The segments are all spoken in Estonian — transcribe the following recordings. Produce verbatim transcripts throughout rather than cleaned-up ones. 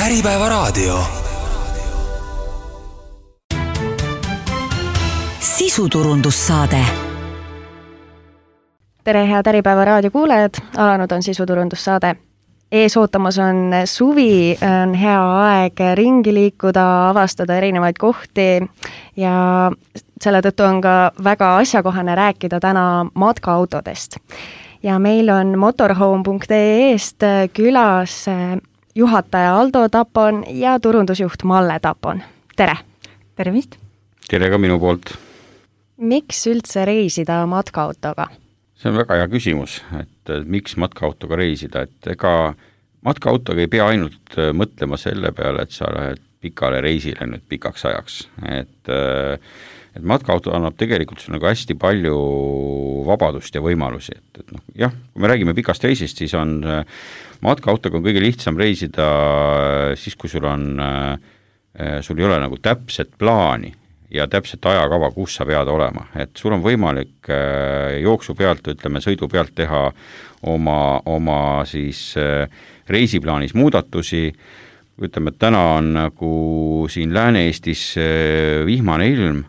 Äripäevaraadio. Sisuturundussaade. Tere, head Äripäevaraadio kuulajad, alanud on sisuturundussaade. Ees ootamas on suvi, on hea aeg ringi liikuda, avastada erinevaid kohti ja selle tõttu on ka väga asjakohane rääkida täna matkaautodest. Ja meil on motorhome punkt ee-st külas juhataja Aldo Tapon ja turundusjuht Malle Tapon. Tere! Tervist! Tere ka minu poolt! Miks üldse reisida matkaautoga? See on väga hea küsimus, et miks matkaautoga reisida, et ega matkaautoga ei pea ainult mõtlema selle peale, et sa lähed pikale reisile nüüd pikaks ajaks, et, et matkaauto annab tegelikult sul nagu hästi palju vabadust ja võimalusi, et, et noh, jah, kui me räägime pikast reisist, siis on matkaautoga on kõige lihtsam reisida siis, kui sul on, sul ei ole nagu täpset plaani ja täpselt ajakava, kus sa pead olema. Et sul on võimalik jooksu pealt, ütleme, sõidu pealt teha oma, oma siis reisiplaanis muudatusi. Ütleme, et täna on nagu siin Lääne-Eestis vihmane ilm,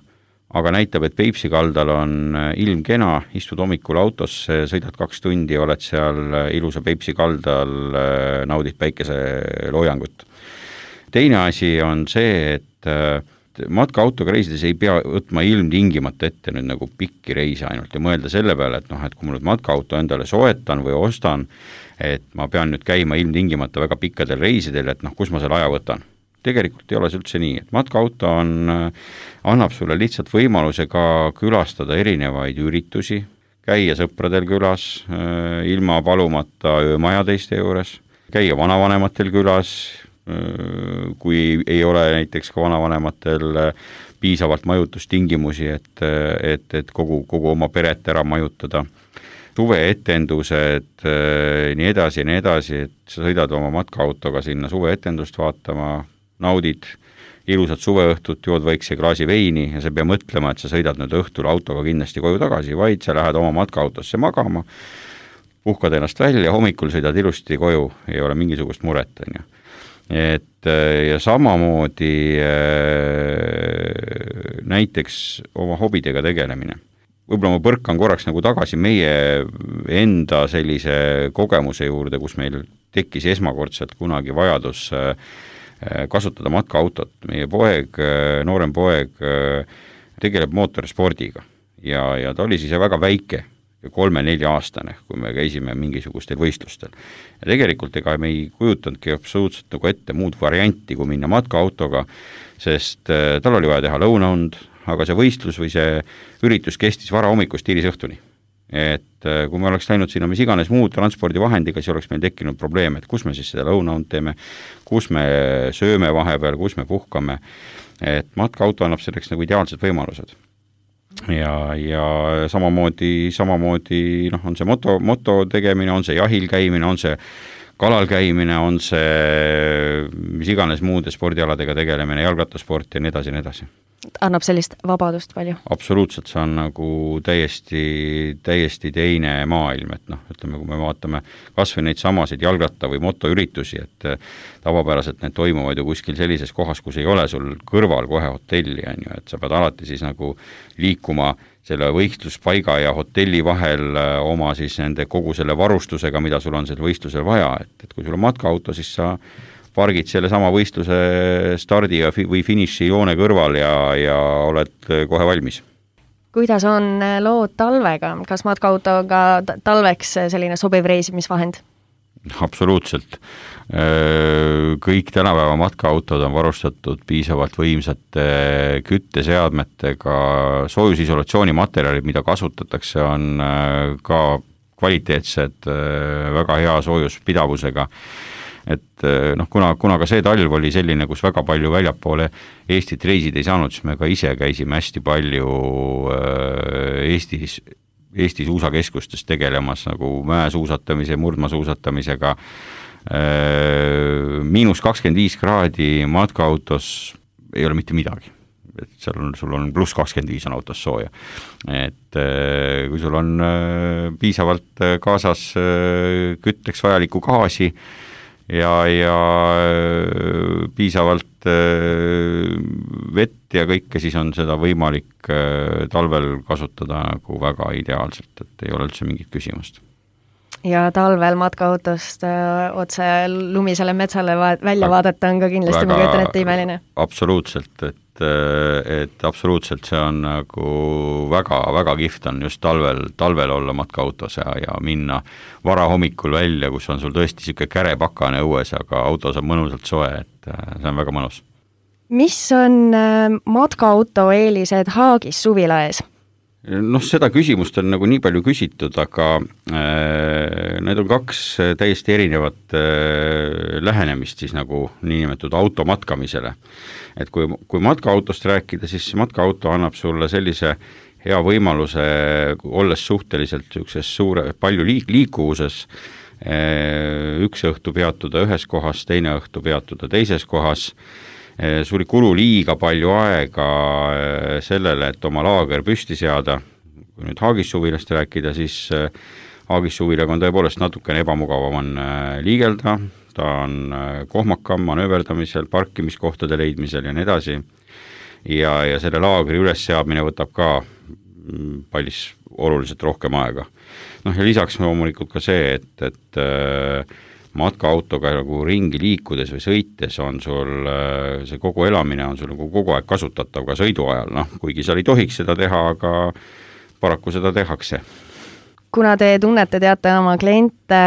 aga näitab, et Peipsi kaldal on ilm kena, istud hommikul autos, sõidad kaks tundi, oled seal ilusa Peipsi kaldal, naudid päikese loojangut. Teine asi on see, et matkaautoga reisides ei pea võtma ilmtingimata ette nüüd nagu pikki reise ainult ja mõelda selle peale, et noh, et kui ma nüüd matkaauto endale soetan või ostan, et ma pean nüüd käima ilmtingimata väga pikkadel reisidel, et noh, kus ma selle aja võtan. Tegelikult ei ole see üldse nii, et matkaauto on, annab sulle lihtsalt võimaluse ka külastada erinevaid üritusi, käia sõpradel külas, ilma palumata öömaja teiste juures, käia vanavanematel külas, kui ei ole näiteks ka vanavanematel piisavalt majutustingimusi, et, et, et kogu, kogu oma peret ära majutada. Suveetendused, nii edasi ja nii edasi, et sa sõidad oma matkaautoga sinna suveetendust vaatama, naudid ilusat suveõhtut, jood väikse klaasi veini ja sa pea mõtlema, et sa sõidad nüüd õhtul autoga kindlasti koju tagasi, vaid sa lähed oma matkaautosse magama, puhkad ennast välja, hommikul sõidad ilusti koju, ei ole mingisugust muret, on ju. Et ja samamoodi näiteks oma hobidega tegelemine. Võib-olla ma põrkan korraks nagu tagasi meie enda sellise kogemuse juurde, kus meil tekkis esmakordselt kunagi vajadus kasutada matkaautot. Meie poeg, noorem poeg tegeleb mootorspordiga ja, ja ta oli siis väga väike, kolme-nelja aastane, kui me käisime mingisugustel võistlustel. Ja tegelikult ega me ei kujutandki absoluutselt nagu ette muud varianti, kui minna matkaautoga, sest tal oli vaja teha lõunaund, aga see võistlus või see üritus kestis vara hommikust hilis õhtuni. Et kui me oleks läinud sinna mis iganes muud transpordivahendiga, siis oleks meil tekkinud probleem, et kus me siis seda lõunaund teeme, kus me sööme vahepeal, kus me puhkame. Et matkaauto annab selleks nagu ideaalsed võimalused. Ja, ja samamoodi, samamoodi noh, on see moto, moto tegemine, on see jahil käimine, on see kalal käimine, on see mis iganes muude spordialadega tegelemine, jalgrattasport ja nii edasi ja nii edasi. Annab sellist vabadust palju? Absoluutselt, see on nagu täiesti, täiesti teine maailm, et noh, ütleme, kui me vaatame kas või neid samasid jalgratta- või motoüritusi, et tavapäraselt need toimuvad ju kuskil sellises kohas, kus ei ole sul kõrval kohe hotelli, on ju, et sa pead alati siis nagu liikuma selle võistluspaiga ja hotelli vahel oma siis nende kogu selle varustusega, mida sul on selle võistlusel vaja, et, et kui sul on matkaauto, siis sa pargid selle sama võistluse stardi või finiši joone kõrval ja, ja oled kohe valmis. Kuidas on lood talvega? Kas matkaautoga talveks selline sobiv reisimisvahend? Absoluutselt. Kõik tänapäeva matkaautod on varustatud piisavalt võimsate kütteseadmetega, soojusisolatsiooni materjalid, mida kasutatakse, on ka kvaliteetsed, väga hea soojuspidavusega. Et noh, kuna, kuna ka see talv oli selline, kus väga palju väljapoole Eestit reisid ei saanud, siis me ka ise käisime hästi palju Eestis, Eesti suusakeskustes tegelemas nagu mäesuusatamise, murdmasuusatamisega. Miinus kakskümmend viis kraadi matkaautos ei ole mitte midagi. Et seal on, sul on pluss kakskümmend viis on autos sooja. Et kui sul on piisavalt kaasas kütteks vajalikku gaasi, ja, ja piisavalt vett ja kõike, siis on seda võimalik talvel kasutada nagu väga ideaalselt, et ei ole üldse mingit küsimust. Ja talvel matkaautost öö, otse lumisele metsale va- välja vaadata on ka kindlasti, ma kujutan ette, imeline. Absoluutselt, et, et absoluutselt see on nagu väga, väga kihvt on just talvel, talvel olla matkaautos ja, ja minna vara hommikul välja, kus on sul tõesti siuke kärepakane õues, aga autos on mõnusalt soe, et see on väga mõnus. Mis on matkaauto eelised Haagis suvila ees? Noh, seda küsimust on nagu nii palju küsitud, aga äh, need on kaks täiesti erinevat äh, lähenemist siis nagu niinimetatud auto matkamisele. Et kui, kui matkaautost rääkida, siis matkaauto annab sulle sellise hea võimaluse, olles suhteliselt ükses suure, palju liik, liikuvuses, äh, üks õhtu peatuda ühes kohas, teine õhtu peatuda teises kohas, sul ei kulu liiga palju aega sellele, et oma laager püsti seada. Kui nüüd Haagis suvilast rääkida, siis Haagis suvilaga on tõepoolest natukene ebamugavam on liigelda, ta on kohmakam manööverdamisel, parkimiskohtade leidmisel ja nii edasi. Ja, ja selle laagri ülesseadmine võtab ka pallis oluliselt rohkem aega. Noh, ja lisaks loomulikult ka see, et, et matkaautoga nagu ringi liikudes või sõites on sul, see kogu elamine on sul nagu kogu aeg kasutatav ka sõidu ajal, noh, kuigi seal ei tohiks seda teha, aga paraku seda tehakse. Kuna te tunnete, teate oma kliente,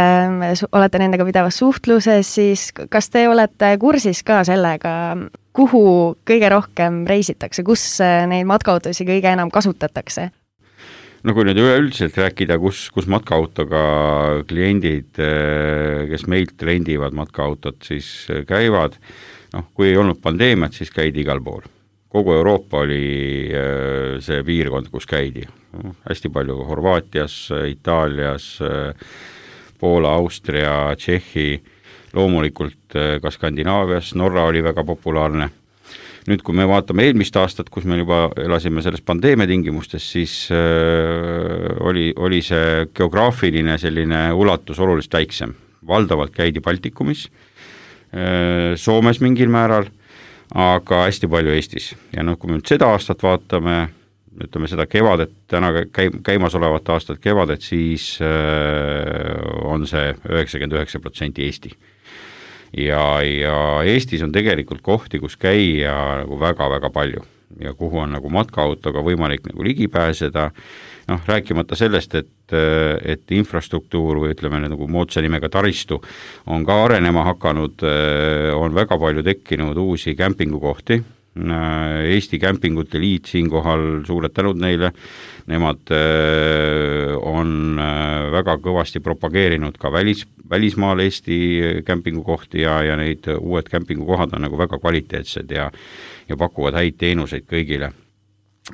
olete nendega pidevas suhtluses, siis kas te olete kursis ka sellega, kuhu kõige rohkem reisitakse, kus neid matkaautosi kõige enam kasutatakse? No kui nüüd üleüldiselt rääkida, kus, kus matkaautoga kliendid, kes meilt rendivad matkaautot, siis käivad, noh, kui ei olnud pandeemiat, siis käidi igal pool. Kogu Euroopa oli see piirkond, kus käidi. Hästi palju Horvaatias, Itaalias, Poola, Austria, Tšehhi, loomulikult ka Skandinaavias, Norra oli väga populaarne. Nüüd, kui me vaatame eelmist aastat, kus me juba elasime selles pandeemia tingimustes, siis äh, oli, oli see geograafiline selline ulatus oluliselt väiksem. Valdavalt käidi Baltikumis, äh, Soomes mingil määral, aga hästi palju Eestis. Ja noh, kui me nüüd seda aastat vaatame, ütleme seda kevadet, täna käi, käimas olevat aastat kevadet, siis äh, on see üheksakümmend üheksa protsenti Eesti. Ja, ja Eestis on tegelikult kohti, kus käia nagu väga-väga palju ja kuhu on nagu matkaautoga võimalik nagu ligi pääseda, noh, rääkimata sellest, et, et infrastruktuur või ütleme nagu moodsa nimega taristu on ka arenema hakanud, on väga palju tekkinud uusi kämpingukohti. Eesti Kämpingute Liit siinkohal suured tänud neile, nemad on väga kõvasti propageerinud ka välis, välismaal Eesti kämpingukohti ja, ja neid uued kämpingukohad on nagu väga kvaliteetsed ja, ja pakuvad häid teenuseid kõigile.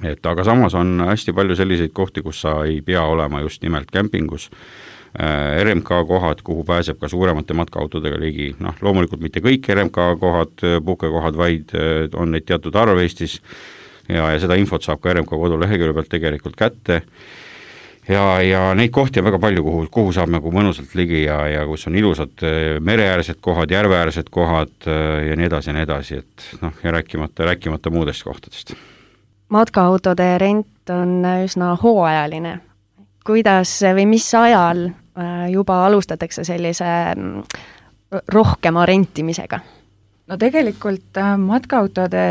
Et aga samas on hästi palju selliseid kohti, kus sa ei pea olema just nimelt kämpingus, R M K kohad, kuhu pääseb ka suuremate matkaautodega ligi, noh, loomulikult mitte kõik R M K kohad, puhkekohad, vaid on neid teatud arv Eestis ja, ja seda infot saab ka R M K kodulehekülje pealt tegelikult kätte ja, ja neid kohti on väga palju, kuhu, kuhu saab nagu mõnusalt ligi ja, ja kus on ilusad mereäärsed kohad, järveäärsed kohad ja nii edasi ja nii edasi, et noh, ja rääkimata, rääkimata muudest kohtadest. Matkaautode rent on üsna hooajaline. Kuidas või mis ajal juba alustatakse sellise rohkema rentimisega? No tegelikult matkaautode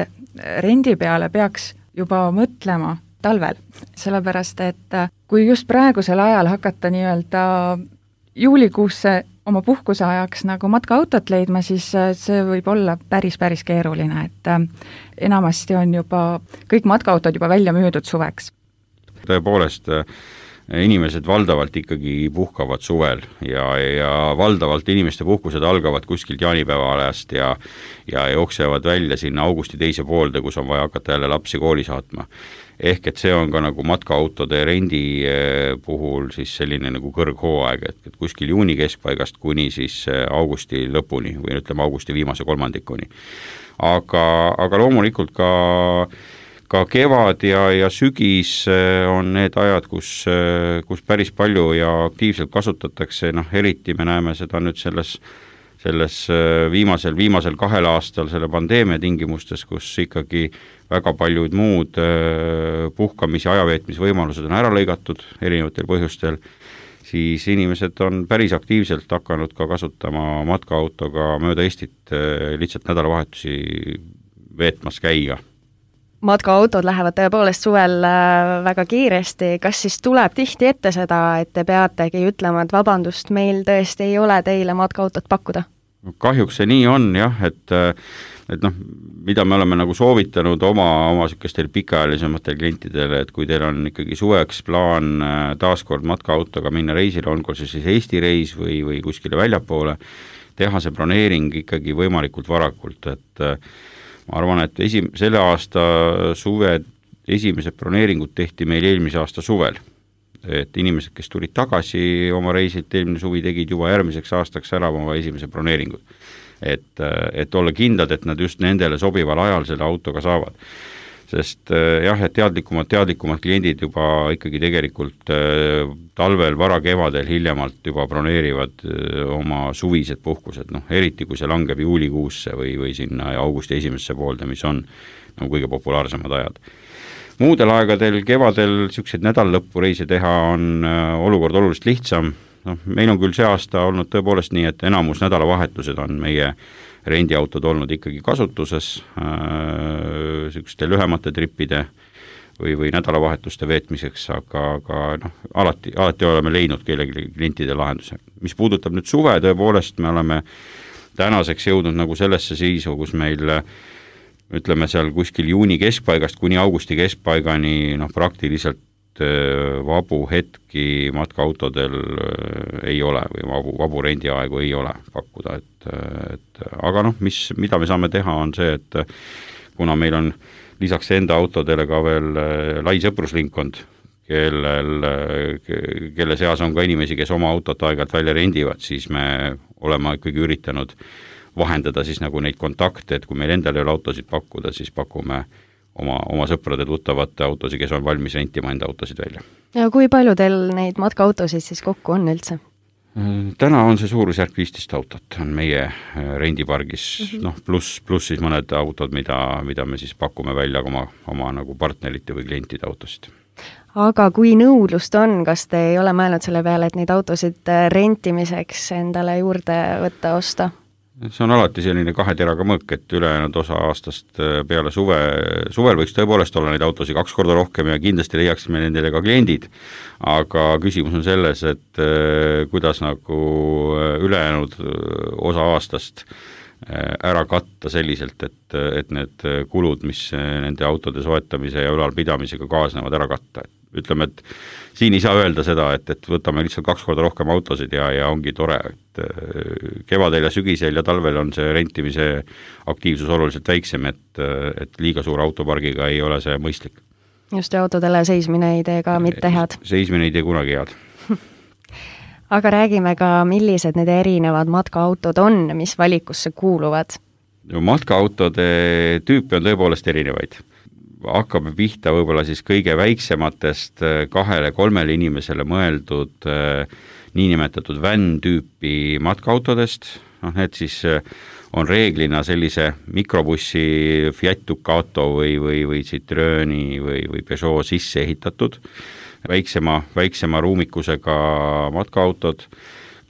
rendi peale peaks juba mõtlema talvel, sellepärast et kui just praegusel ajal hakata nii-öelda juulikuusse oma puhkuse ajaks nagu matkaautot leidma, siis see võib olla päris, päris keeruline, et enamasti on juba kõik matkaautod juba välja müüdud suveks. Tõepoolest, inimesed valdavalt ikkagi puhkavad suvel ja, ja valdavalt inimeste puhkused algavad kuskilt jaanipäeva ajast ja, ja jooksevad välja sinna augusti teise poolde, kus on vaja hakata jälle lapsi kooli saatma. Ehk et see on ka nagu matkaautode rendi puhul siis selline nagu kõrghooaeg, et, et kuskil juuni keskpaigast kuni siis augusti lõpuni või ütleme augusti viimase kolmandikuni. Aga, aga loomulikult ka ka kevad ja, ja sügis on need ajad, kus, kus päris palju ja aktiivselt kasutatakse, noh, eriti me näeme seda nüüd selles, selles viimasel, viimasel kahel aastal selle pandeemia tingimustes, kus ikkagi väga paljud muud puhkamis- ja ajaveetmisvõimalused on ära lõigatud erinevatel põhjustel, siis inimesed on päris aktiivselt hakanud ka kasutama matkaautoga mööda Eestit lihtsalt nädalavahetusi veetmas käia. Matkaautod lähevad tõepoolest suvel väga kiiresti, kas siis tuleb tihti ette seda, et te peategi ütlema, et vabandust, meil tõesti ei ole teile matkaautot pakkuda? Kahjuks see nii on jah, et, et noh, mida me oleme nagu soovitanud oma, oma sükestel pikaajalisematel klientidele, et kui teil on ikkagi suveks plaan taaskord matkaautoga minna reisile, on kui siis Eesti reis või, või kuskile väljapoole, teha see broneering ikkagi võimalikult varakult, et ma arvan, et esi, selle aasta suve esimesed broneeringud tehti meil eelmise aasta suvel. Et inimesed, kes tulid tagasi oma reisilt, eelmine suvi tegid juba järgmiseks aastaks ära oma esimese broneeringud. Et, et olla kindlad, et nad just nendele sobival ajal selle autoga saavad. Sest jah, et teadlikumad, teadlikumad kliendid juba ikkagi tegelikult talvel, vara kevadel hiljemalt juba broneerivad oma suvised puhkused, noh, eriti kui see langeb juulikuusse või, või sinna augusti esimesse poolde, mis on nagu kõige populaarsemad ajad. Muudel aegadel, kevadel siukseid nädallõppu reise teha on olukord oluliselt lihtsam. No, meil on küll see aasta olnud tõepoolest nii, et enamus nädalavahetused on meie rendiautod olnud ikkagi kasutuses äh, sükste lühemate trippide või, või nädalavahetuste veetmiseks, aga, aga noh, alati, alati oleme leidnud kellegi klientide lahenduse. Mis puudutab nüüd suve, tõepoolest me oleme tänaseks jõudnud nagu sellesse siisu, kus meil ütleme seal kuskil juuni keskpaigast kuni augusti keskpaigani noh, praktiliselt vabu hetki matkaautodel ei ole või vabu, vabu rendiaegu ei ole pakkuda, et, et aga noh, mis, mida me saame teha, on see, et kuna meil on lisaks enda autodele ka veel lai sõpruslinkond, kellel, kelle seas on ka inimesi, kes oma autot aegalt välja rendivad, siis me oleme ikkagi üritanud vahendada siis nagu neid kontakte, et kui meil endal ei ole autosid pakkuda, siis pakume oma, oma sõprade tuttavate autosid, kes on valmis rentima enda autosid välja. Ja kui palju teil neid matkaautosid siis kokku on üldse? Täna on see suurusjärk viisteist autot, on meie rendipargis, mm -hmm. noh, pluss, pluss siis mõned autod, mida, mida me siis pakume välja oma, oma nagu partnerite või klientide autosid. Aga kui nõudlust on, kas te ei ole mõelnud selle peale, et neid autosid rentimiseks endale juurde võtta, osta? See on alati selline kahe teraga mõõk, et ülejäänud osa aastast peale suve, suvel võiks tõepoolest olla neid autosid kaks korda rohkem ja kindlasti leiaksime nendele ka kliendid, aga küsimus on selles, et kuidas nagu ülejäänud osa aastast ära katta selliselt, et, et need kulud, mis nende autode soetamise ja ülalpidamisega kaasnevad, ära katta. Ütleme, et siin ei saa öelda seda, et, et võtame lihtsalt kaks korda rohkem autosid ja, ja ongi tore, et kevadel ja sügisel ja talvel on see rentimise aktiivsus oluliselt väiksem, et, et liiga suure autopargiga ei ole see mõistlik. Just ja autodele seismine ei tee ka mitte head. Seismine ei tee kunagi head. Aga räägime ka, millised need erinevad matkaautod on, mis valikusse kuuluvad? Matkaautode tüüpi on tõepoolest erinevaid. Hakkame pihta võib-olla siis kõige väiksematest kahele-kolmele inimesele mõeldud niinimetatud van-tüüpi matkaautodest. No, need siis on reeglina sellise mikrobussi Fiat Ducato või, või, või Citroeni või, või Peugeot sisse ehitatud. Väiksema, väiksema ruumikusega matkaautod,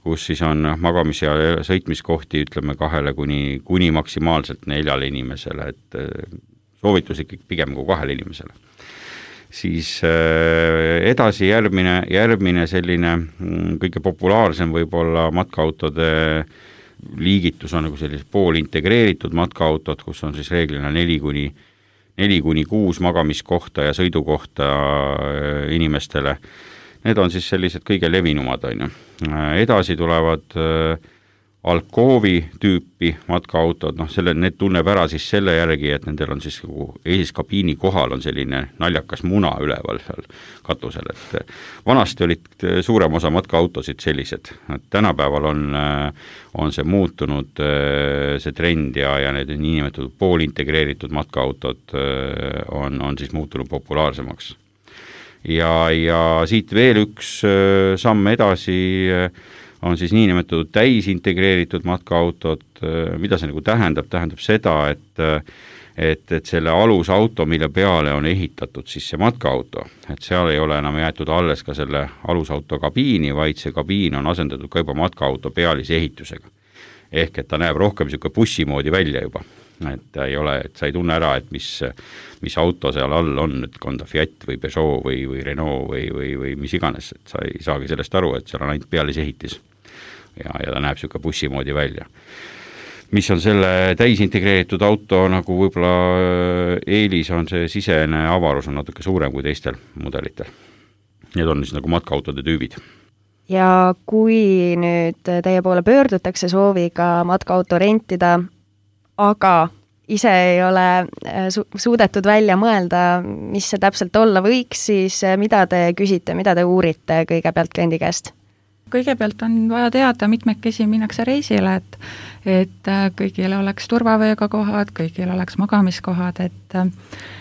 kus siis on magamis- ja sõitmiskohti, ütleme kahele kuni, kuni maksimaalselt neljale inimesele, et soovitus ikkagi pigem kui kahele inimesele. Siis edasi järgmine, järgmine selline kõige populaarsem võib-olla matkaautode liigitus on nagu sellised pool integreeritud matkaautod, kus on siis reeglina neli kuni neli kuni kuus magamiskohta ja sõidukohta inimestele. Need on siis sellised kõige levinumad, on ju. Edasi tulevad Alcoovi tüüpi matkaautod, noh, selle, need tunneb ära siis selle järgi, et nendel on siis eeskabiini kohal on selline naljakas muna üleval seal katusel, et vanasti olid suurem osa matkaautosid sellised, et tänapäeval on, on see muutunud, see trend ja, ja need niinimetatud poolintegreeritud matkaautod on, on siis muutunud populaarsemaks. Ja, ja siit veel üks samm edasi on siis niinimetatud täisintegreeritud matkaautod. Mida see nagu tähendab? Tähendab seda, et et, et selle alusauto, mille peale on ehitatud siis see matkaauto, et seal ei ole enam jäetud alles ka selle alusauto kabiini, vaid see kabiin on asendatud ka juba matkaauto pealise ehitusega. Ehk et ta näeb rohkem niisugune bussi moodi välja juba, et ei ole, et sa ei tunne ära, et mis, mis auto seal all on, et on ta Fiat või Peugeot või, või Renault või, või, või mis iganes, et sa ei saagi sellest aru, et seal on ainult pealise ehitis ja, ja ta näeb niisugune bussi moodi välja. Mis on selle täisintegreeritud auto nagu võib-olla eelis on see sisene avarus on natuke suurem kui teistel mudelitel. Need on siis nagu matkaautode tüübid. Ja kui nüüd teie poole pöördutakse sooviga matkaauto rentida, aga ise ei ole su- suudetud välja mõelda, mis see täpselt olla võiks, siis mida te küsite, mida te uurite kõigepealt kliendi käest? Kõigepealt on vaja teada, mitmekesi minnakse reisile, et, et kõigil oleks turvavööga kohad, kõigil oleks magamiskohad, et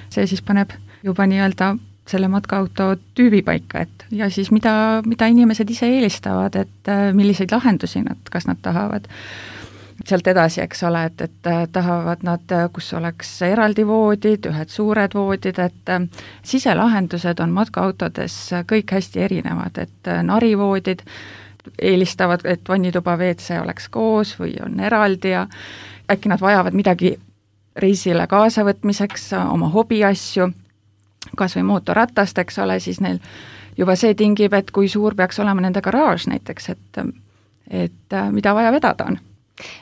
see siis paneb juba nii-öelda selle matkaauto tüübi paika, et ja siis mida, mida inimesed ise eelistavad, et milliseid lahendusi nad, kas nad tahavad sealt edasi, eks ole, et, et tahavad nad, kus oleks eraldi voodid, ühed suured voodid, et siselahendused on matkaautodes kõik hästi erinevad, et narivoodid eelistavad, et vannituba V C oleks koos või on eraldi ja äkki nad vajavad midagi reisile kaasavõtmiseks, oma hobiasju, kas või mootorratast, eks ole, siis neil juba see tingib, et kui suur peaks olema nende garaaž näiteks, et, et mida vaja vedada on.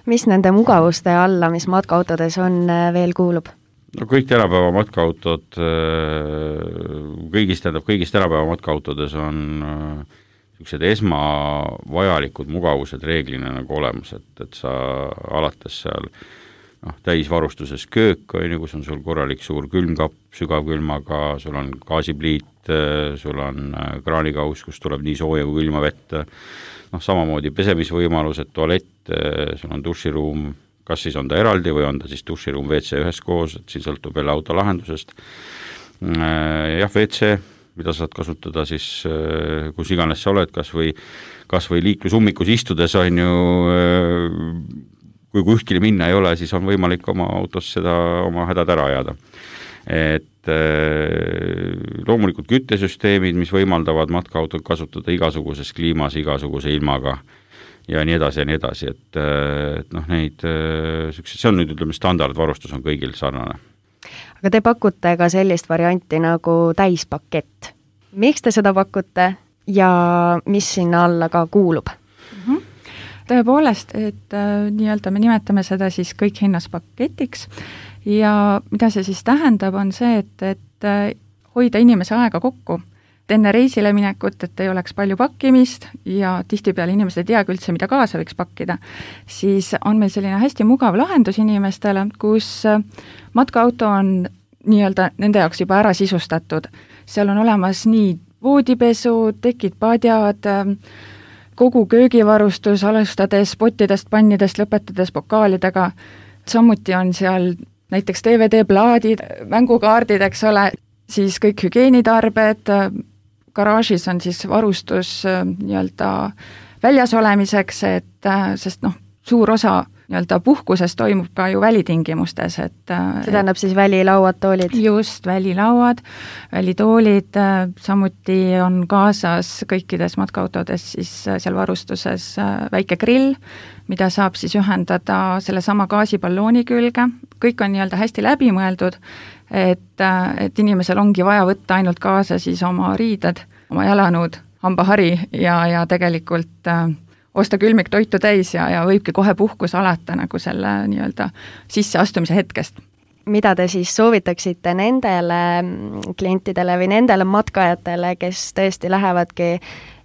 Mis nende mugavuste alla, mis matkaautodes on, veel kuulub? No kõik tänapäeva matkaautod, kõigist, tähendab, kõigist tänapäeva matkaautodes on niisugused esmavajalikud mugavused reeglina nagu olemas, et, et sa alates seal noh, täisvarustuses köök, on ju, kus on sul korralik suur külmkapp sügavkülmaga, sul on gaasipliit, sul on kraanikaus, kus tuleb nii sooja kui külma vett, noh, samamoodi pesemisvõimalused, tualett, sul on duširuum, kas siis on ta eraldi või on ta siis duširuum V C ühes koos, et siin sõltub jälle auto lahendusest. Jah, V C, mida saad kasutada siis, kus iganes sa oled, kas või, kas või liiklusummikus istudes on ju, kui kuskile minna ei ole, siis on võimalik oma autos seda oma hädad ära ajada. Et loomulikult küttesüsteemid, mis võimaldavad matkaautod kasutada igasuguses kliimas, igasuguse ilmaga ja nii edasi ja nii edasi, et, et noh, neid, see on nüüd, ütleme, standardvarustus on kõigil sarnane. Aga te pakute ka sellist varianti nagu täispakett. Miks te seda pakute ja mis sinna alla ka kuulub? Mm-hmm. Tõepoolest, et äh, nii-öelda me nimetame seda siis kõik hinnas paketiks ja mida see siis tähendab, on see, et, et äh, hoida inimese aega kokku. Et enne reisile minekut, et ei oleks palju pakkimist ja tihtipeale inimesed ei teagi üldse, mida kaasa võiks pakkida, siis on meil selline hästi mugav lahendus inimestele, kus äh, matkaauto on nii-öelda nende jaoks juba ära sisustatud. Seal on olemas nii voodipesu, tekid, padjad, kogu köögivarustus, alustades pottidest, pannidest, lõpetades pokaalidega. Samuti on seal näiteks D V D-plaadid, mängukaardid, eks ole, siis kõik hügienitarbed, garaažis on siis varustus nii-öelda väljas olemiseks, et sest noh, suur osa nii-öelda puhkuses toimub ka ju välitingimustes, et see tähendab siis välilauad, toolid? Just, välilauad, välitoolid, samuti on kaasas kõikides matkaautodes siis seal varustuses väike grill, mida saab siis ühendada selle sama gaasipallooni külge, kõik on nii-öelda hästi läbimõeldud, et, et inimesel ongi vaja võtta ainult kaasa siis oma riided, oma jalanõud, hambahari ja, ja tegelikult osta külmik toitu täis ja, ja võibki kohe puhkus alata nagu selle nii-öelda sisseastumise hetkest. Mida te siis soovitaksite nendele klientidele või nendele matkajatele, kes tõesti lähevadki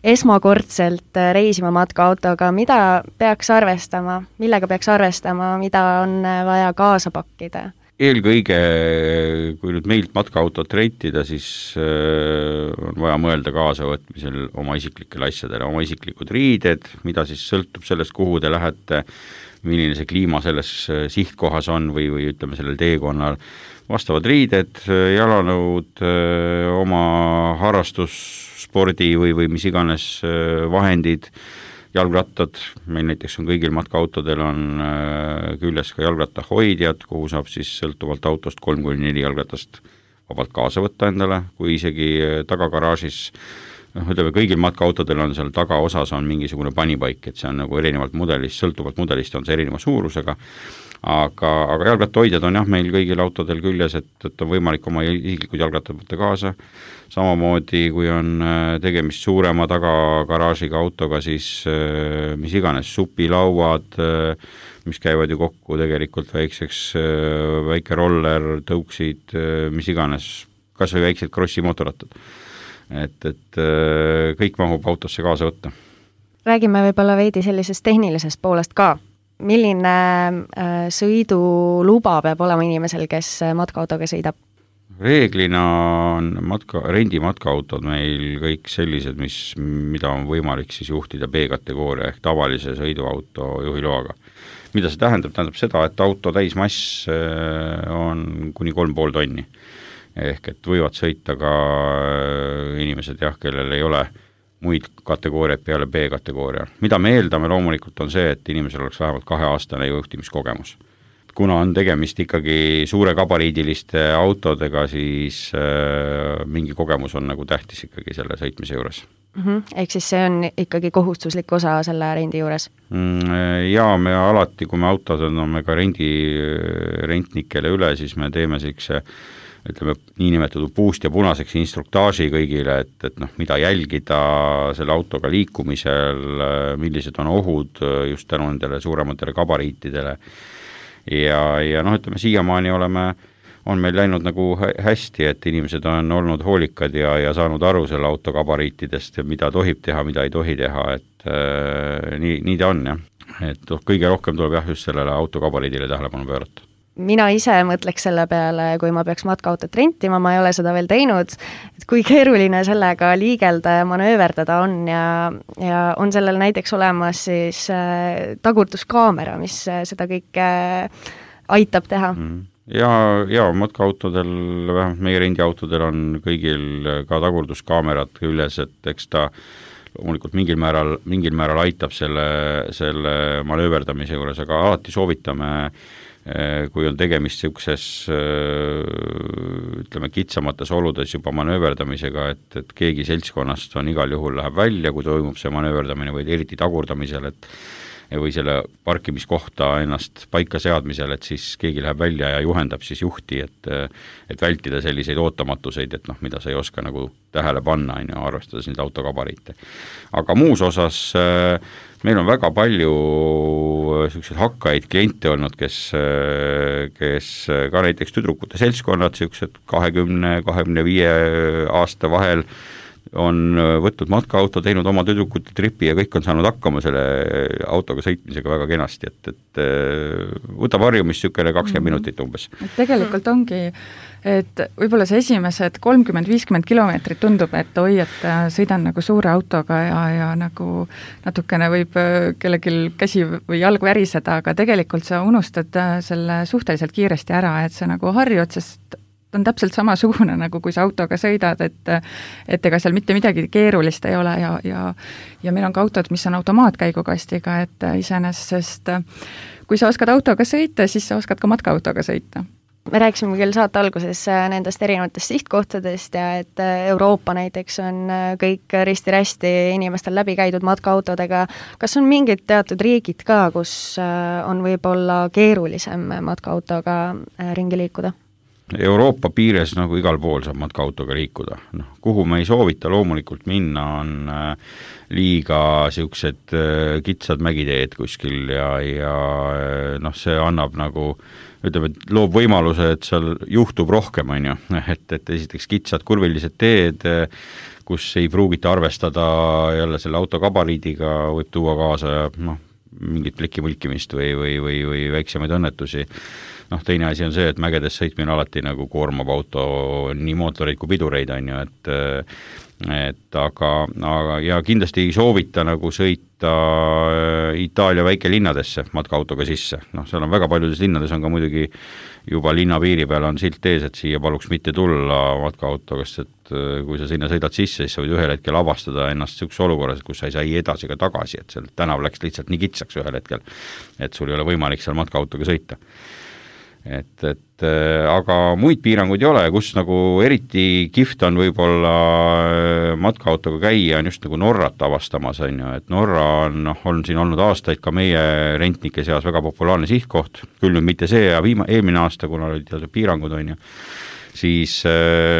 esmakordselt reisima matkaautoga, mida peaks arvestama, millega peaks arvestama, mida on vaja kaasa pakkida? Eelkõige, kui nüüd meilt matkaautot rentida, siis on vaja mõelda kaasavõtmisel oma isiklikele asjadele, oma isiklikud riided, mida siis sõltub sellest, kuhu te lähete, milline see kliima selles sihtkohas on või, või ütleme sellel teekonnal, vastavad riided, jalanõud, oma harrastusspordi või, või mis iganes vahendid jalgrattad, meil näiteks on kõigil matkaautodel on küljes ka jalgrattahoidjad, kuhu saab siis sõltuvalt autost kolm kuni neli jalgratast vabalt kaasa võtta endale, kui isegi tagagaraažis, noh, ütleme, kõigil matkaautodel on seal tagaosas on mingisugune panipaik, et see on nagu erinevalt mudelist, sõltuvalt mudelist on see erineva suurusega, aga, aga jalgrattahoidjad on jah, meil kõigil autodel küljes, et, et on võimalik oma isiklikud jalgrattad võtta kaasa, samamoodi kui on tegemist suurema tagagaraažiga autoga, siis mis iganes, supilauad, mis käivad ju kokku tegelikult väikseks, väike roller, tõuksid, mis iganes, kas või väiksed krossi mootorrattad. Et, et kõik mahub autosse kaasa võtta. Räägime võib-olla veidi sellisest tehnilisest poolest ka. Milline sõiduluba peab olema inimesel, kes matkaautoga sõidab? Reeglina on matka, rendi matkaautod meil kõik sellised, mis, mida on võimalik siis juhtida B-kategooria ehk tavalise sõiduauto juhiloaga. Mida see tähendab? Tähendab seda, et auto täismass on kuni kolm pool tonni. Ehk et võivad sõita ka inimesed, jah, kellel ei ole muid kategooriaid peale B-kategooria. Mida me eeldame loomulikult on see, et inimesel oleks vähemalt kaheaastane juhtimiskogemus. Kuna on tegemist ikkagi suure gabariidiliste autodega, siis äh, mingi kogemus on nagu tähtis ikkagi selle sõitmise juures. Mm-hmm. Ehk siis see on ikkagi kohustuslik osa selle rendi juures? Mm, jaa, me alati, kui me autod anname ka rendi, rentnikele üle, siis me teeme selline, ütleme, niinimetatud puust ja punaseks instruktaaži kõigile, et, et noh, mida jälgida selle autoga liikumisel, millised on ohud just tänu nendele suurematele gabariitidele. Ja, ja noh, ütleme, siiamaani oleme, on meil läinud nagu hästi, et inimesed on olnud hoolikad ja, ja saanud aru selle auto gabariitidest, mida tohib teha, mida ei tohi teha, et äh, nii, nii ta on, jah. Et kõige rohkem tuleb jah just sellele auto gabariidile tähelepanu pöörata. Mina ise mõtleks selle peale, kui ma peaks matkaautot rentima, ma ei ole seda veel teinud, et kui keeruline sellega liigelda ja manööverdada on ja, ja on sellel näiteks olemas siis äh, tagurduskaamera, mis äh, seda kõike äh, aitab teha. Mm. Ja, ja matkaautodel, vähemalt meie rendiautodel on kõigil ka tagurduskaamerad küljes, et eks ta loomulikult mingil määral, mingil määral aitab selle, selle manööverdamise juures, aga alati soovitame kui on tegemist niisuguses, ütleme, kitsamates oludes juba manööverdamisega, et, et keegi seltskonnast on igal juhul läheb välja, kui toimub see manööverdamine või eriti tagurdamisel, et või selle parkimiskohta ennast paika seadmisel, et siis keegi läheb välja ja juhendab siis juhti, et, et vältida selliseid ootamatuseid, et noh, mida sa ei oska nagu tähele panna, on ju, arvestades neid autogabariite. Aga muus osas meil on väga palju selliseid hakkaid kliente olnud, kes, kes ka näiteks tüdrukute seltskonnad, sellised kahekümne kahekümne viie aasta vahel on võtnud matkaauto, teinud oma tüdrukute tripi ja kõik on saanud hakkama selle autoga sõitmisega väga kenasti, et, et võtab harjumist niisugune kakskümmend minutit umbes. Tegelikult ongi, et võib-olla see esimesed kolmkümmend viiskümmend kilomeetrit tundub, et oi, et sõidan nagu suure autoga ja, ja nagu natukene võib kellelgi käsi või jalg väriseda, aga tegelikult sa unustad selle suhteliselt kiiresti ära, et see nagu harjud, sest on täpselt samasugune, nagu kui sa autoga sõidad, et, et ega seal mitte midagi keerulist ei ole ja, ja, ja meil on ka autod, mis on automaatkäigukastiga, et iseenesest kui sa oskad autoga sõita, siis sa oskad ka matkaautoga sõita. Me rääkisime küll saate alguses nendest erinevatest sihtkohtadest ja et Euroopa näiteks on kõik risti-rästi inimestel läbi käidud matkaautodega. Kas on mingid teatud riigid ka, kus on võib-olla keerulisem matkaautoga ringi liikuda? Euroopa piires nagu igal pool saab matkaautoga liikuda. No, kuhu me ei soovita loomulikult minna, on liiga siuksed kitsad mägiteed kuskil ja, ja noh, see annab nagu, ütleme, loob võimaluse, et seal juhtub rohkem, on ju, et, et esiteks kitsad kurvilised teed, kus ei pruugita arvestada jälle selle auto gabariidiga, võib tuua kaasa noh, mingit plikimõlkimist või, või, või, või väiksemaid õnnetusi. noh, teine asi on see, et mägedes sõitmine alati nagu koormab auto nii mootoreid kui pidureid, on ju, et et aga, aga ja kindlasti ei soovita nagu sõita Itaalia väikelinnadesse matkaautoga sisse, noh, seal on väga paljudes linnades on ka muidugi juba linna piiri peal on silt ees, et siia paluks mitte tulla matkaautoga, sest et kui sa sinna sõidad sisse, siis sa võid ühel hetkel avastada ennast niisuguses olukorras, kus sa ei saa ei edasi ega tagasi, et seal tänav läks lihtsalt nii kitsaks ühel hetkel, et sul ei ole võimalik seal matkaautoga sõita. Et, et aga muid piiranguid ei ole, kus nagu eriti kihvt on võib-olla matkaautoga käia, on just nagu Norrat avastamas, on ju, et Norra on, noh, on siin olnud aastaid ka meie rentnike seas väga populaarne sihtkoht, küll nüüd mitte see ja viima, eelmine aasta, kuna olid piirangud, on ju, siis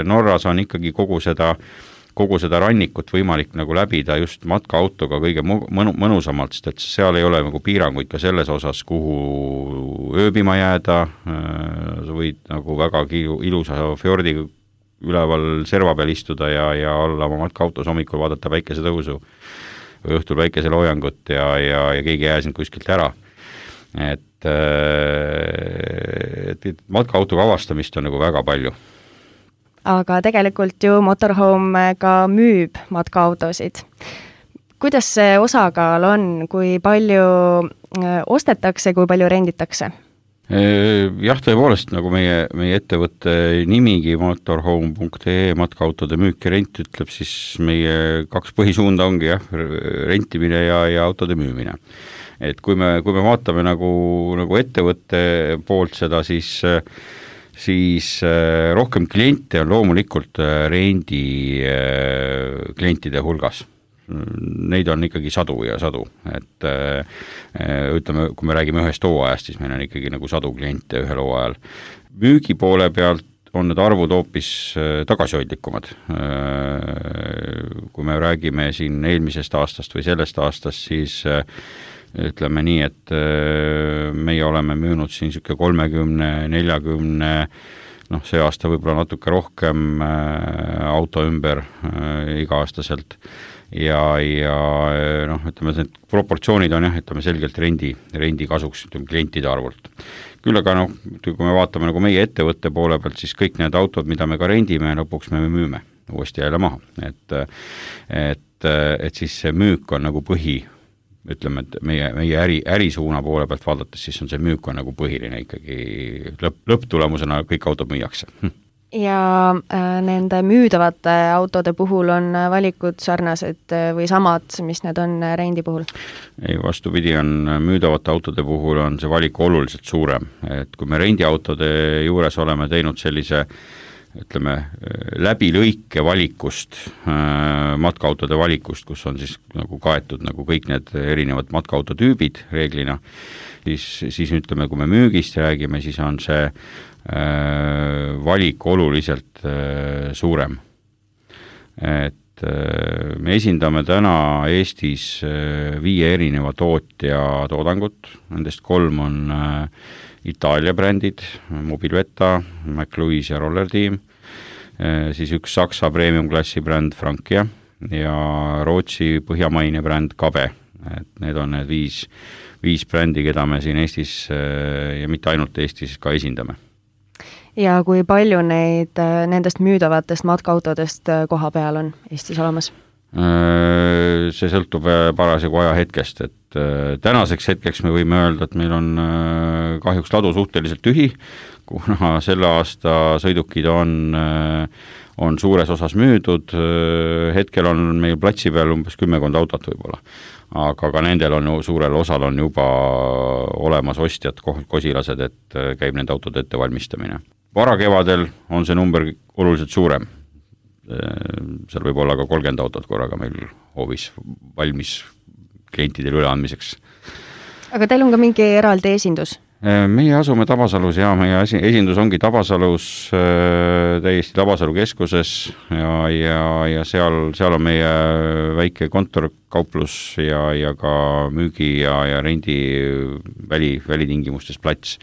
Norras on ikkagi kogu seda kogu seda rannikut võimalik nagu läbida just matkaautoga kõige mõnu, mõnusamalt, sest et seal ei ole nagu piiranguid ka selles osas, kuhu ööbima jääda, sa võid nagu väga ilusa fjordi üleval serva peal istuda ja, ja olla oma matkaautos hommikul vaadata päikesetõusu või õhtul päikeseloojangut ja, ja, ja keegi ei jää sind kuskilt ära. Et, et, et matkaautoga avastamist on nagu väga palju. Aga tegelikult ju Motorhome ka müüb matkaautosid. Kuidas see osakaal on, kui palju ostetakse, kui palju renditakse? Jah, tõepoolest, nagu meie, meie ettevõtte nimigi motorhome punkt ee matkaautode müük ja rent ütleb, siis meie kaks põhisuunda ongi jah, rentimine ja, ja autode müümine. Et kui me, kui me vaatame nagu, nagu ettevõtte poolt seda, siis siis rohkem kliente on loomulikult rendi klientide hulgas. Neid on ikkagi sadu ja sadu, et ütleme, kui me räägime ühest hooajast, siis meil on ikkagi nagu sadu kliente ühel hooajal. Müügi poole pealt on need arvud hoopis tagasihoidlikumad. Kui me räägime siin eelmisest aastast või sellest aastast, siis ütleme nii, et meie oleme müünud siin siuke kolmekümne, neljakümne, noh, see aasta võib-olla natuke rohkem auto ümber iga-aastaselt ja, ja noh, ütleme, need proportsioonid on jah, ütleme selgelt rendi, rendi kasuks ütleme, klientide arvult. Küll aga noh, kui me vaatame nagu meie ettevõtte poole pealt, siis kõik need autod, mida me ka rendime, lõpuks me müüme uuesti jälle maha, et, et, et siis see müük on nagu põhi, ütleme, et meie, meie äri, ärisuuna poole pealt vaadates, siis on see müük on nagu põhiline ikkagi lõpp, lõpptulemusena kõik autod müüakse. Ja äh, nende müüdavate autode puhul on valikud sarnased või samad, mis need on rendi puhul? Ei, vastupidi on müüdavate autode puhul on see valik oluliselt suurem, et kui me rendiautode juures oleme teinud sellise ütleme, läbi lõike valikust, matkaautode valikust, kus on siis nagu kaetud nagu kõik need erinevad matkaauto-tüübid reeglina, siis, siis ütleme, kui me müügist räägime, siis on see valik oluliselt suurem. Et me esindame täna Eestis viie erineva tootja toodangut, nendest kolm on Itaalia brändid, Mobilvetta, McLuis ja Roller Team, siis üks Saksa premium-klassi bränd Frankia ja Rootsi põhjamaine bränd Kabe. Et need on need viis, viis brändi, keda me siin Eestis ja mitte ainult Eestis ka esindame. Ja kui palju neid nendest müüdavatest matkaautodest koha peal on Eestis olemas? See sõltub parasjagu aja hetkest, et tänaseks hetkeks me võime öelda, et meil on kahjuks ladu suhteliselt tühi, kuna selle aasta sõidukid on, on suures osas müüdud, hetkel on meil platsi peal umbes kümmekond autot võib-olla, aga ka nendel on suurel osal on juba olemas ostjad, kosilased, et käib nende autode ettevalmistamine. Varakevadel on see number oluliselt suurem. Seal võib olla ka kolmkümmend autot korraga meil hoovis valmis klientidele üleandmiseks. Aga teil on ka mingi eraldi esindus? Meie asume Tabasalus ja meie esindus ongi Tabasalus, täiesti Tabasalu keskuses ja, ja, ja seal, seal on meie väike kontor kauplus ja, ja ka müügi ja, ja rendi väli, välitingimustes plats,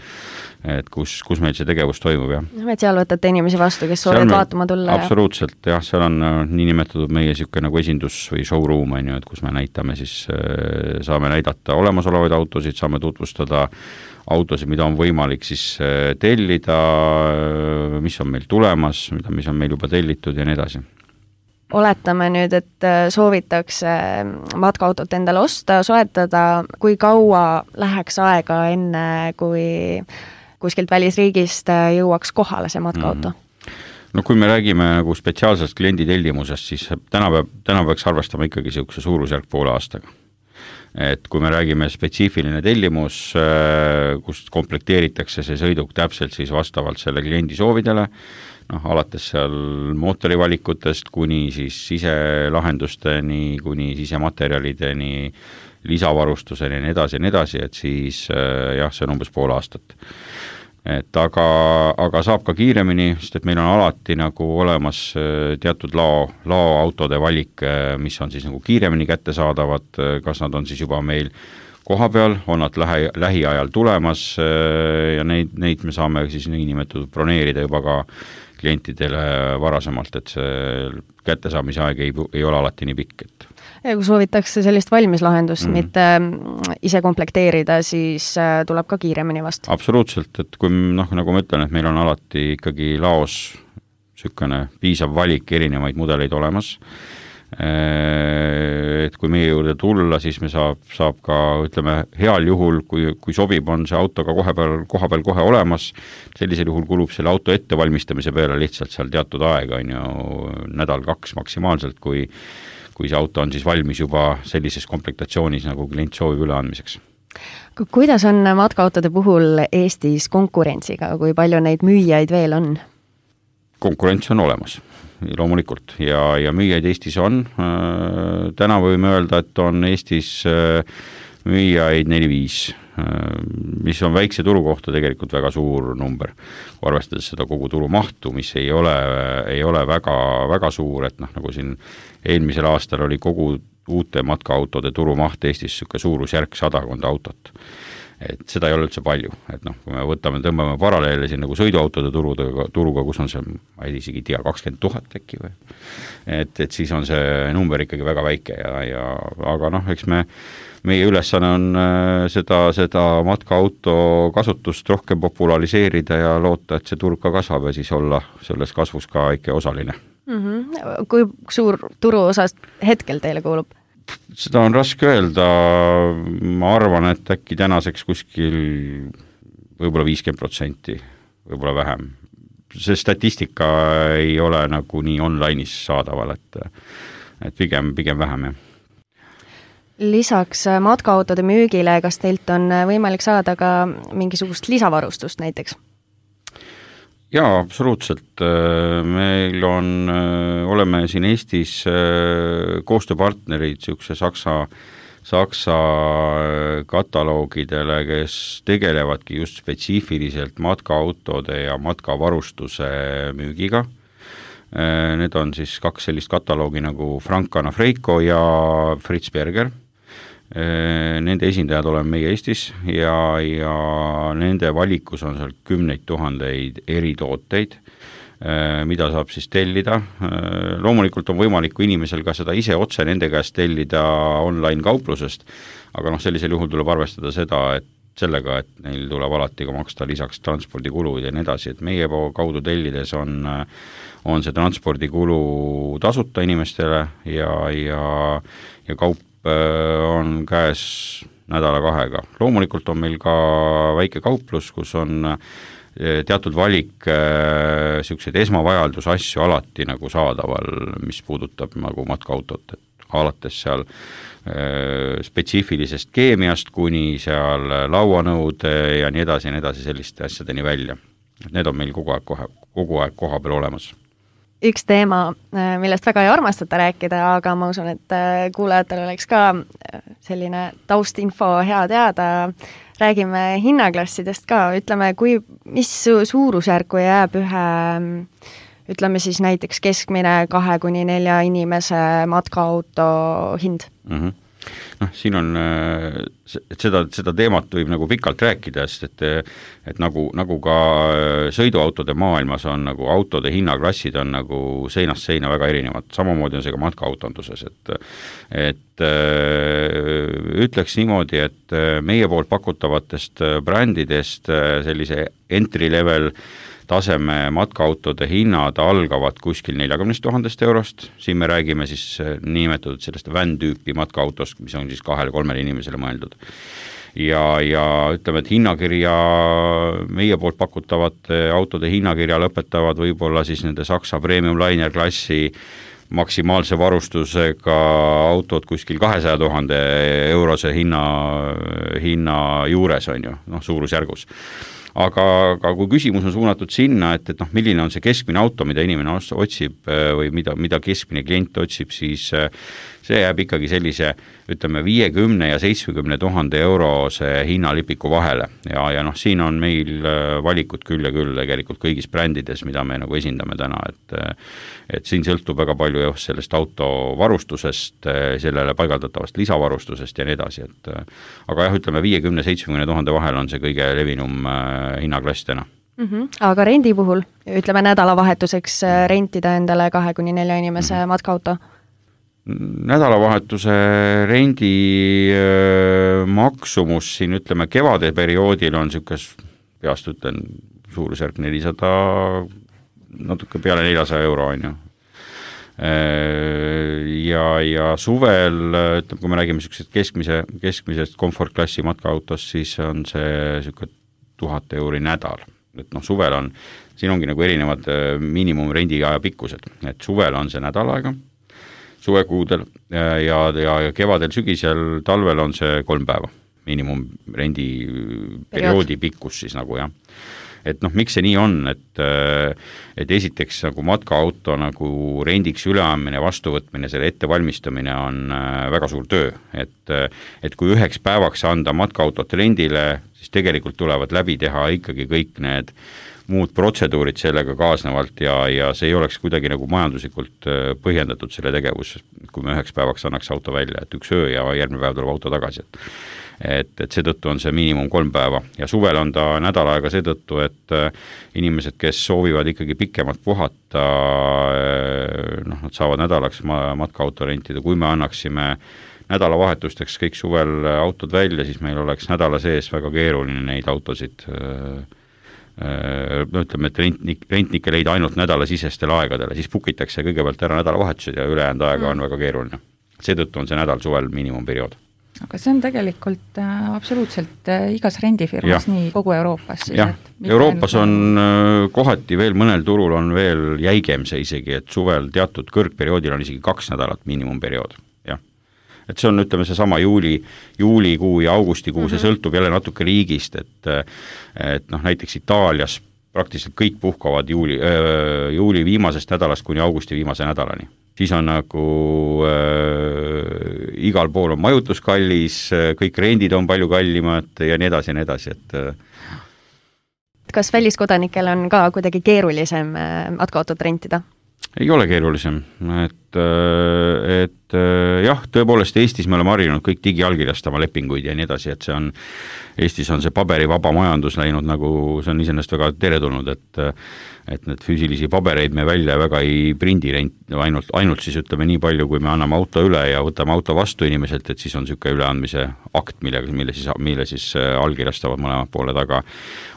et kus, kus meil see tegevus toimub, jah. Et seal võtate inimesi vastu, kes soovivad vaatama tulla? Absoluutselt, jah, seal on nii nimetatud meie niisugune nagu esindus või showroom, on ju, et kus me näitame siis, saame näidata olemasolevaid autosid, saame tutvustada autosid, mida on võimalik siis tellida, mis on meil tulemas, mida, mis on meil juba tellitud ja nii edasi. Oletame nüüd, et soovitakse matkaautot endale osta, soetada, kui kaua läheks aega enne, kui kuskilt välisriigist jõuaks kohale see matkaauto? No kui me räägime nagu spetsiaalsest kliendi tellimusest, siis täna, peab, täna peaks arvestama ikkagi niisuguse suurusjärk poole aastaga. Et kui me räägime spetsiifiline tellimus, kust komplekteeritakse see sõiduk täpselt siis vastavalt selle kliendi soovidele, noh, alates seal mootorivalikutest kuni siis siselahendusteni, kuni sisematerjalideni, lisavarustuseni ja nii edasi ja nii edasi, et siis jah, see on umbes pool aastat. Et aga, aga saab ka kiiremini, sest et meil on alati nagu olemas teatud lao, laoautode valik, mis on siis nagu kiiremini kättesaadavad, kas nad on siis juba meil koha peal, on nad lähe, lähiajal tulemas ja neid, neid me saame siis niinimetatud broneerida juba ka klientidele varasemalt, et see kättesaamise aeg ei, ei ole alati nii pikk, et ja kui soovitakse sellist valmislahendust, mm. mitte ise komplekteerida, siis tuleb ka kiiremini vastu. Absoluutselt, et kui noh, nagu ma ütlen, et meil on alati ikkagi laos sükene piisav valik erinevaid mudeleid olemas, et kui meie juurde tulla, siis me saab, saab ka, ütleme, heal juhul, kui, kui sobib, on see auto ka kohe peal, koha peal kohe olemas, sellisel juhul kulub selle auto ettevalmistamise peale lihtsalt seal teatud aega, on ju nädal kaks maksimaalselt, kui kui see auto on siis valmis juba sellises komplektatsioonis, nagu klient soovib üleandmiseks. Kuidas on matkaautode puhul Eestis konkurentsiga, kui palju neid müüjaid veel on? Konkurents on olemas, loomulikult, ja, ja müüjaid Eestis on. Täna võime öelda, et on Eestis müüjaid neli viis, mis on väikse turu kohta tegelikult väga suur number, arvestades seda kogu turu mahtu, mis ei ole, ei ole väga, väga suur, et noh, nagu siin eelmisel aastal oli kogu uute matkaautode turumaht Eestis süke suurusjärk sadakonda autot. Et seda ei ole üldse palju, et noh, kui me võtame, tõmbame paralleele siin nagu sõiduautode turuga, turuga, kus on see, ma ei isegi tea, kakskümmend tuhat äkki või, et, et siis on see number ikkagi väga väike ja, ja aga noh, eks me meie ülesanne on seda, seda matkaauto kasutust rohkem populariseerida ja loota, et see turg ka kasvab ja siis olla selles kasvus ka ikka osaline. Mm-hmm. Kui suur turuosast hetkel teile kuulub? Seda on raske öelda, ma arvan, et äkki tänaseks kuskil võib-olla viiskümmend protsenti, võib-olla vähem. See statistika ei ole nagu nii online'is saadaval, et, et pigem, pigem vähem, jah. Lisaks matkaautode müügile, kas teilt on võimalik saada ka mingisugust lisavarustust näiteks? Jaa, absoluutselt. Meil on, oleme siin Eestis koostööpartnerid niisuguse Saksa, Saksa kataloogidele, kes tegelevadki just spetsiifiliselt matkaautode ja matkavarustuse müügiga. Need on siis kaks sellist kataloogi nagu Frank Anna-Freiko ja Fritz Berger. Nende esindajad oleme meie Eestis ja, ja nende valikus on seal kümneid tuhandeid eritooteid, mida saab siis tellida. Loomulikult on võimalik inimesel ka seda ise otse nende käest tellida online kauplusest, aga noh, sellisel juhul tuleb arvestada seda, et sellega, et neil tuleb alati ka maksta lisaks transpordikulud ja nii edasi, et meie kaudu tellides on, on see transpordikulu tasuta inimestele ja, ja, ja kaup on käes nädala kahega. Loomulikult on meil ka väike kauplus, kus on teatud valik selliseid esmavajaldusasju alati nagu saadaval, mis puudutab nagu matkaautot, et alates seal spetsiifilisest keemiast kuni seal lauanõud ja nii edasi ja nii edasi selliste asjadeni välja. Need on meil kogu aeg, kohe, kogu aeg koha peal olemas. Üks teema, millest väga ei armastata rääkida, aga ma usun, et kuulajatel oleks ka selline taustinfo hea teada. Räägime hinnaklassidest ka, ütleme, kui, mis suurusjärku jääb ühe, ütleme siis näiteks keskmine kahe kuni nelja inimese matkaauto hind? Mm-hmm. Noh, siin on, et seda, seda teemat võib nagu pikalt rääkida, sest et, et nagu, nagu ka sõiduautode maailmas on nagu autode hinnaklassid on nagu seinast seina väga erinevad, samamoodi on see ka matkaautonduses, et et ütleks niimoodi, et meie poolt pakutavatest brändidest sellise entry level taseme matkaautode hinnad algavad kuskil neljakümnest tuhandest eurost, siin me räägime siis nimetatud sellest van tüüpi matkaautost, mis on siis kahele kolmele inimesele mõeldud. Ja, ja ütleme, et hinnakirja, meie poolt pakutavate autode hinnakirja lõpetavad võib-olla siis nende Saksa premium liner klassi maksimaalse varustusega autod kuskil kahesaja tuhande eurose hinna, hinna juures on ju, noh suurusjärgus. Aga, aga kui küsimus on suunatud sinna, et, et noh, milline on see keskmine auto, mida inimene otsib või mida, mida keskmine klient otsib, siis see jääb ikkagi sellise, ütleme, viiekümne ja seitsmekümne tuhande eurose hinnalipiku vahele. Ja, ja noh, siin on meil valikud küll ja küll tegelikult kõigis brändides, mida me nagu esindame täna, et, et siin sõltub väga palju just sellest auto varustusest, sellele paigaldatavast lisavarustusest ja nii edasi, et aga jah, ütleme, viiekümne seitsmekümne tuhande vahel on see kõige levinum hinnaklass täna. Mm-hmm. Aga rendi puhul, ütleme nädalavahetuseks rentida endale kahe kuni nelja inimese mm-hmm. matkaauto? Nädalavahetuse rendi maksumus siin, ütleme, kevade perioodil on niisugune, peast ütlen, suurusjärk nelisada, natuke peale neljasaja euro on ju. Ja, ja suvel, ütleme, kui me räägime keskmise, keskmisest komfortklassi matkaautost, siis on see niisugune tuhat euri nädal. Et noh, suvel on, siin ongi nagu erinevad miinimumrendi aja pikkused, et suvel on see nädal aega, suvekuudel ja, ja, ja kevadel, sügisel, talvel on see kolm päeva miinimumrendi perioodi pikkus siis nagu jah. Et noh, miks see nii on, et, et esiteks nagu matkaauto nagu rendiks üleandmine, vastuvõtmine, selle ettevalmistamine on väga suur töö, et, et kui üheks päevaks anda matkaautot rendile, siis tegelikult tulevad läbi teha ikkagi kõik need muud protseduurid sellega kaasnevalt ja, ja see ei oleks kuidagi nagu majanduslikult põhjendatud selle tegevus, kui me üheks päevaks annaks auto välja, et üks öö ja järgmine päev tuleb auto tagasi, et et, et seetõttu on see miinimum kolm päeva ja suvel on ta nädal aega seetõttu, et inimesed, kes soovivad ikkagi pikemalt puhata, noh, nad saavad nädalaks matkaauto rentida, kui me annaksime nädalavahetusteks kõik suvel autod välja, siis meil oleks nädala sees väga keeruline neid autosid no ütleme, et rentnik, rentnikke leida ainult nädalasisestel aegadele, siis pukitakse kõigepealt ära nädalavahetused ja ülejäänud aega on väga keeruline. Seetõttu on see nädal suvel miinimumperiood. Aga see on tegelikult äh, absoluutselt äh, igas rendifirmas, nii kogu Euroopas. Siis, jah, Euroopas on äh, kohati veel mõnel turul on veel jäigem see isegi, et suvel teatud kõrgperioodil on isegi kaks nädalat miinimumperiood. Jah. Et see on, ütleme, see sama juuli, juulikuu ja augustikuu, mm-hmm. see sõltub jälle natuke riigist, et, et noh, näiteks Itaalias praktiliselt kõik puhkavad juuli, äh, juuli viimasest nädalast kuni augusti viimase nädalani. Siis on nagu äh, igal pool on majutus kallis, kõik rendid on palju kallimad ja nii edasi ja nii edasi, et kas väliskodanikel on ka kuidagi keerulisem matkaautot rentida? Ei ole keerulisem, et, et jah, tõepoolest Eestis me oleme harjunud kõik digiallkirjastama lepinguid ja nii edasi, et see on, Eestis on see paberivaba majandus läinud nagu, see on iseenesest väga teretulnud, et, et need füüsilisi pabereid me välja väga ei prindi rent, ainult, ainult siis ütleme nii palju, kui me anname auto üle ja võtame auto vastu inimeselt, et siis on niisugune üleandmise akt, mille, mille, siis, mille siis allkirjastavad mõlemad pooled, aga,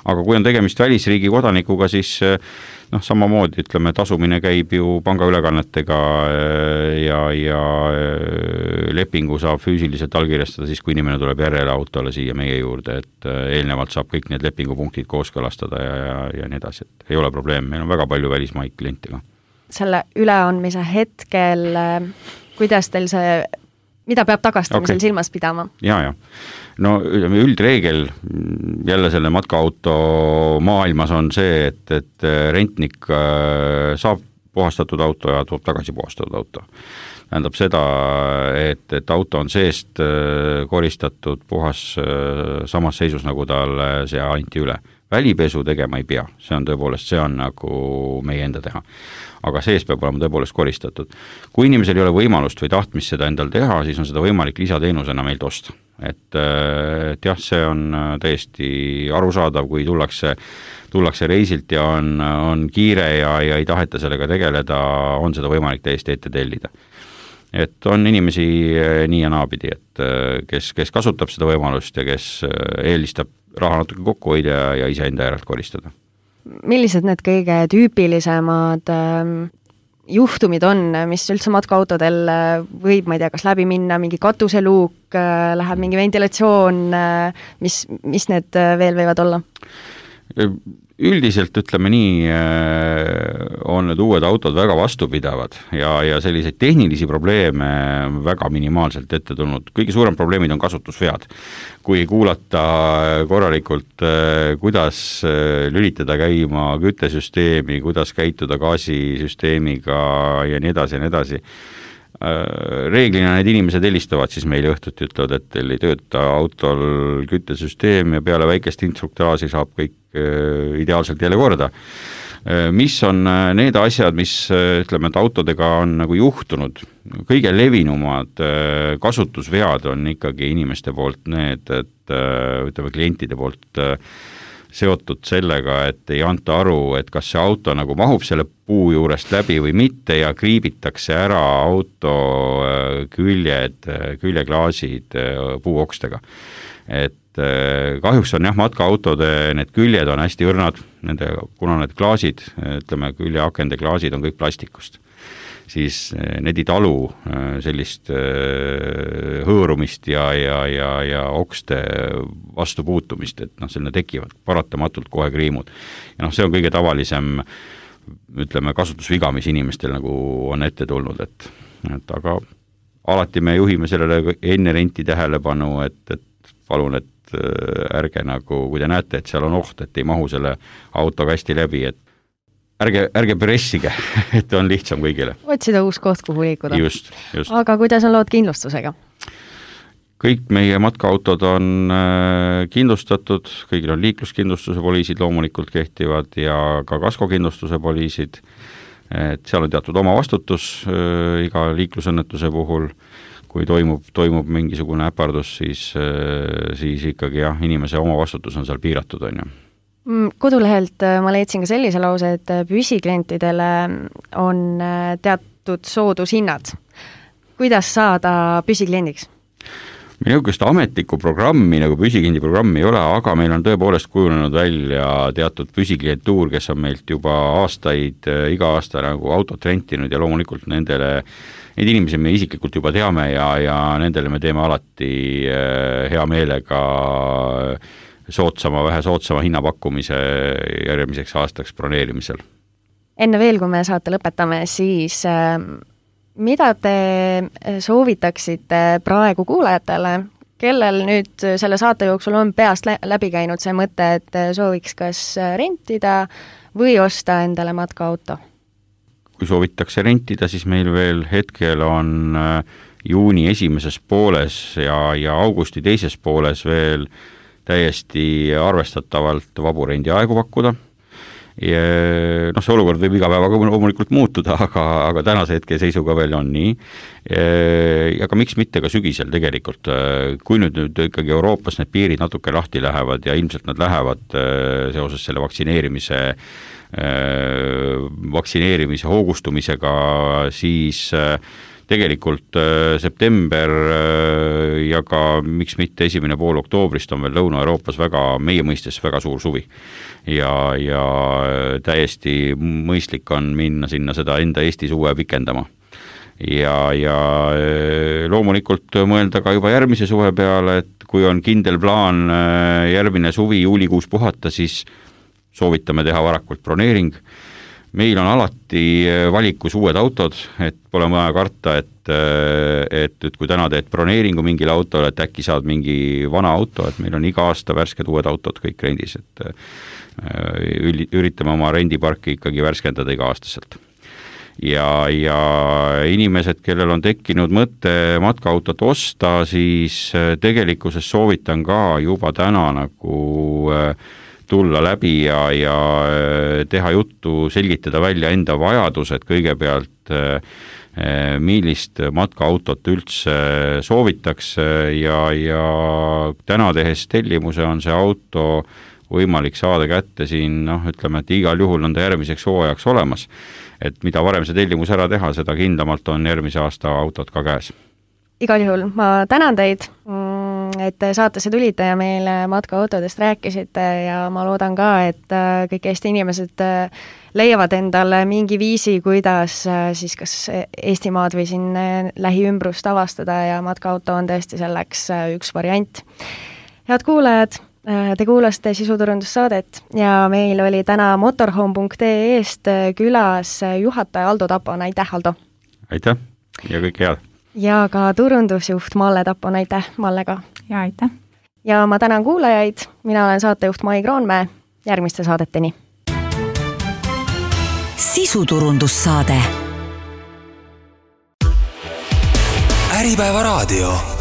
aga kui on tegemist välisriigi kodanikuga, siis noh, samamoodi, ütleme, tasumine käib ju pangaülekannetega ja, ja lepingu saab füüsiliselt allkirjastada siis, kui inimene tuleb järele autole siia meie juurde, et eelnevalt saab kõik need lepingupunktid kooskõlastada ja, ja, ja nii edasi, et ei ole probleem, meil on väga palju välismaid klientiga. Selle üleandmise hetkel, kuidas teil see, mida peab tagastamisel okay. silmas pidama? Ja, ja. No üldreegel jälle selle matkaauto maailmas on see, et, et rentnik saab puhastatud auto ja toob tagasi puhastatud auto. Tähendab seda, et, et auto on seest koristatud puhas samas seisus, nagu tal see anti üle. välipesu tegema ei pea, see on tõepoolest, see on nagu meie enda teha. Aga sees peab olema tõepoolest koristatud. Kui inimesel ei ole võimalust või tahtmist seda endal teha, siis on seda võimalik lisateenusena meilt osta. Et, et jah, see on täiesti arusaadav, kui tullakse, tullakse reisilt ja on, on kiire ja, ja ei taheta sellega tegeleda, on seda võimalik täiesti ette tellida. Et on inimesi nii ja naapidi, et kes, kes kasutab seda võimalust ja kes eelistab raha natuke kokku hoida ja, ja ise enda järelt koristada. Millised need kõige tüüpilisemad äh, juhtumid on, mis üldse matkaautodel võib, ma ei tea, kas läbi minna, mingi katuseluuk, äh, läheb mingi ventilatsioon, äh, mis, mis need veel võivad olla? Üldiselt ütleme nii, on need uued autod väga vastupidavad ja, ja selliseid tehnilisi probleeme väga minimaalselt ette tulnud. Kõige suurem probleemid on kasutusvead. Kui kuulata korralikult, kuidas lülitada käima küttesüsteemi, kuidas käituda gaasisüsteemiga ja nii edasi ja nii edasi. Reeglina need inimesed helistavad siis meile õhtuti, ütlevad, et teil ei tööta autol küttesüsteem ja peale väikest instruktaasi saab kõik ideaalselt jälle korda. Mis on need asjad, mis ütleme, et autodega on nagu juhtunud? Kõige levinumad kasutusvead on ikkagi inimeste poolt need, et ütleme, klientide poolt seotud sellega, et ei anta aru, et kas see auto nagu mahub selle puu juurest läbi või mitte ja kriibitakse ära auto küljed, küljeklaasid puuokstega. Et kahjuks on jah, matkaautode need küljed on hästi õrnad, nende, kuna need klaasid, ütleme, küljeakende klaasid on kõik plastikust, siis need ei talu sellist hõõrumist ja, ja, ja, ja okste vastu puutumist, et noh, selline tekivad paratamatult kohe kriimud. Ja noh, see on kõige tavalisem, ütleme, kasutusviga, mis inimestel nagu on ette tulnud, et, et aga alati me juhime sellele enne renti tähelepanu, et, et palun, et ärge nagu, kui te näete, et seal on oht, et ei mahu selle auto kasti läbi, et ärge, ärge pressige, et on lihtsam kõigile. Otsida uus koht, kuhu liikuda. Just, just. Aga kuidas on lood kindlustusega? Kõik meie matkaautod on kindlustatud, kõigil on liikluskindlustuse poliisid loomulikult kehtivad ja ka kaskokindlustuse poliisid, et seal on teatud oma vastutus iga liiklusõnnetuse puhul. Kui toimub, toimub mingisugune äpardus, siis, siis ikkagi jah, inimese oma vastutus on seal piiratud, on ju. Kodulehelt ma leidsin ka sellise lause, et püsiklientidele on teatud soodushinnad. Kuidas saada püsikliendiks? Meil niisugust ametlikku programmi, nagu püsikliendi programmi ei ole, aga meil on tõepoolest kujunenud välja teatud püsiklientuur, kes on meilt juba aastaid, iga aasta nagu autot rentinud ja loomulikult nendele, neid inimesi me isiklikult juba teame ja, ja nendele me teeme alati hea meelega sootsama, vähe sootsama hinnapakkumise järgmiseks aastaks broneerimisel. Enne veel, kui me saate lõpetame, siis mida te soovitaksite praegu kuulajatele, kellel nüüd selle saate jooksul on peast läbi käinud see mõte, et sooviks kas rentida või osta endale matkaauto? Kui soovitakse rentida, siis meil veel hetkel on juuni esimeses pooles ja, ja augusti teises pooles veel täiesti arvestatavalt vabu rendiaegu pakkuda. Ja, noh, see olukord võib iga päevaga loomulikult muutuda, aga, aga tänase hetke seisuga veel on nii. Ja ka miks mitte ka sügisel tegelikult, kui nüüd, nüüd ikkagi Euroopas need piirid natuke lahti lähevad ja ilmselt nad lähevad seoses selle vaktsineerimise, vaktsineerimise hoogustumisega, siis tegelikult september ja ka miks mitte esimene pool oktoobrist on veel Lõuna-Euroopas väga, meie mõistes väga suur suvi. Ja, ja täiesti mõistlik on minna sinna seda enda Eesti suve pikendama. Ja, ja loomulikult mõelda ka juba järgmise suve peale, et kui on kindel plaan järgmine suvi juulikuus puhata, siis soovitame teha varakult broneering. Meil on alati valikus uued autod, et pole vaja karta, et, et, et kui täna teed broneeringu mingile autole, et äkki saad mingi vana auto, et meil on iga aasta värsked uued autod kõik rendis, et üritame oma rendiparki ikkagi värskendada iga aastaselt. Ja, ja inimesed, kellel on tekkinud mõte matkaautot osta, siis tegelikkuses soovitan ka juba täna nagu tulla läbi ja, ja teha juttu, selgitada välja enda vajadused kõigepealt, millist matkaautot üldse soovitakse ja, ja täna tehes tellimuse on see auto võimalik saada kätte siin, noh, ütleme, et igal juhul on ta järgmiseks hooajaks olemas. Et mida varem see tellimus ära teha, seda kindlamalt on järgmise aasta autod ka käes. Igal juhul ma tänan teid, et saatesse tulite ja meile matkaautodest rääkisite ja ma loodan ka, et kõik Eesti inimesed leiavad endale mingi viisi, kuidas siis kas Eestimaad või siin lähiümbrust avastada ja matkaauto on tõesti selleks üks variant. Head kuulajad, te kuulasite sisuturundussaadet ja meil oli täna motorhome punkt ee-st külas juhataja Aldo Tapon, aitäh Aldo! Aitäh ja kõike head! Ja ka turundusjuht Malle Tapon, aitäh Malle ka! Ja aitäh! Ja ma tänan kuulajaid, mina olen saatejuht Mai Kroonmäe, järgmiste saadeteni! Sisuturundussaade Äripäeva raadio